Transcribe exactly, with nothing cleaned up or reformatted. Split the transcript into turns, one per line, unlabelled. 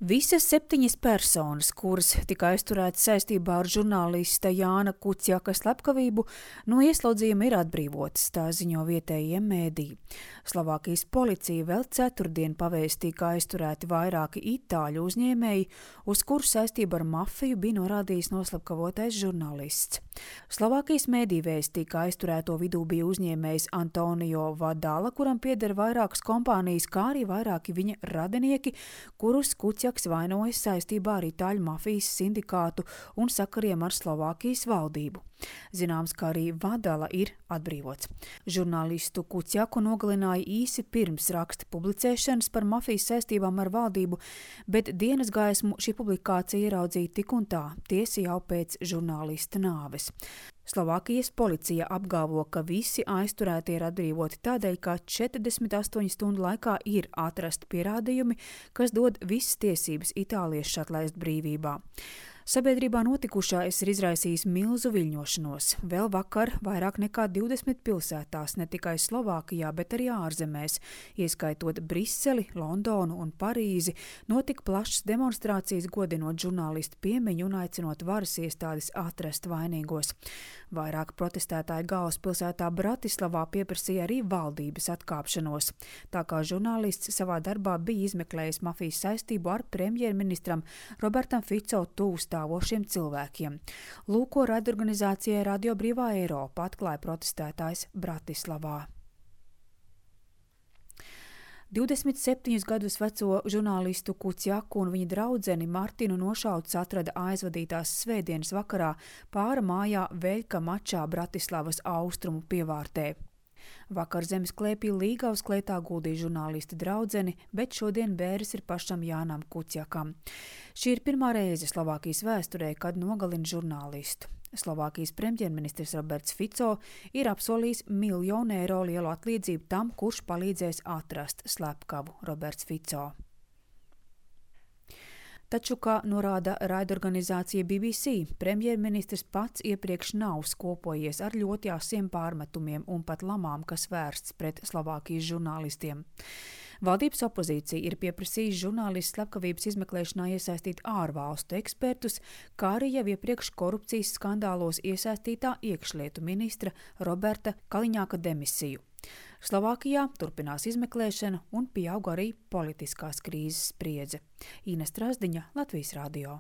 Visas septiņas personas, kuras tika aizturētas saistībā ar žurnālista Jāna Kuciaka slepkavību, no ieslodzījuma ir atbrīvotas, tā ziņo vietējie mēdīji. Slovākijas policija vēl ceturtdien pavēstīja, ka aizturēti vairāki itāļu uzņēmēji, uz kuru saistību ar mafiju bija norādījis noslepkavotais žurnālists. Slovākijas mēdīji vēstīja, ka aizturēto vidū bija uzņēmējs Antonio Vadala, kuram pieder vairākas kompānijas, kā arī vairāki viņa radinieki, kurus Kuciaks vainojas saistībā ar itāļu mafijas sindikātu un sakariem ar Slovākijas valdību. Zināms, ka arī Vadala ir atbrīvots. Žurnālistu Kuciaku nogalināja īsi pirms raksta publicēšanas par mafijas saistībām ar valdību, bet dienas gaismu šī publikācija ieraudzīja tik un tā, tiesa jau pēc žurnālista nāves. Slovākijas policija apgalvo, ka visi aizturētie ir atbrīvoti tādēļ, ka četrdesmit astoņu stundu laikā ir atrasti pierādījumi, kas dod visas tiesības itāliešus atlaist brīvībā. Sabiedrībā notikušais ir izraisījis milzu viļņošanos. Vēl vakar vairāk nekā divdesmit pilsētās, ne tikai Slovākijā, bet arī ārzemēs, ieskaitot Briseli, Londonu un Parīzi, notika plašas demonstrācijas godinot žurnālistu piemiņu un aicinot varas iestādes atrast vainīgos. Vairāk protestētāji galvaspilsētā Bratislavā pieprasīja arī valdības atkāpšanos, tā kā žurnālists savā darbā bija izmeklējis mafijas saistību ar premjerministram Robertam Fico tūs stāvošiem cilvēkiem. Lūko raidorganizācijai Radio Brīvā Eiropa atklāja protestētājs Bratislavā. divdesmit septiņus gadus veco žurnālistu Kuciaku un viņa draudzeni Martinu nošauts atrada aizvadītās svētdienas vakarā pāra mājā Veļka mačā Bratislavas austrumu pievārtē. Vakar zemes klēpī Līgavas klētā guldīja žurnālisti draudzeni, bet šodien bēres ir pašam Jānam Kuciakam. Šī ir pirmā reize Slovākijas vēsturē, kad nogalina žurnālistu. Slovākijas premjerministrs Roberts Fico ir apsolījis miljonu eiro lielu atlīdzību tam, kurš palīdzēs atrast slepkavu Roberts Fico. Taču, kā norāda raidorganizācija B B C, premjerministrs pats iepriekš nav skopojies ar ļoti asiem pārmetumiem un pat lamām, kas vērsts pret Slovākijas žurnālistiem. Valdības opozīcija ir pieprasījusi žurnālistu slepkavības izmeklēšanā iesaistīt ārvalstu ekspertus, kā arī jau iepriekš korupcijas skandālos iesaistītā iekšlietu ministra Roberta Kaliņāka demisiju. Slovākijā turpinās izmeklēšana un pieaug arī politiskās krīzes spriedze. Ines Trasdiņa, Latvijas radio.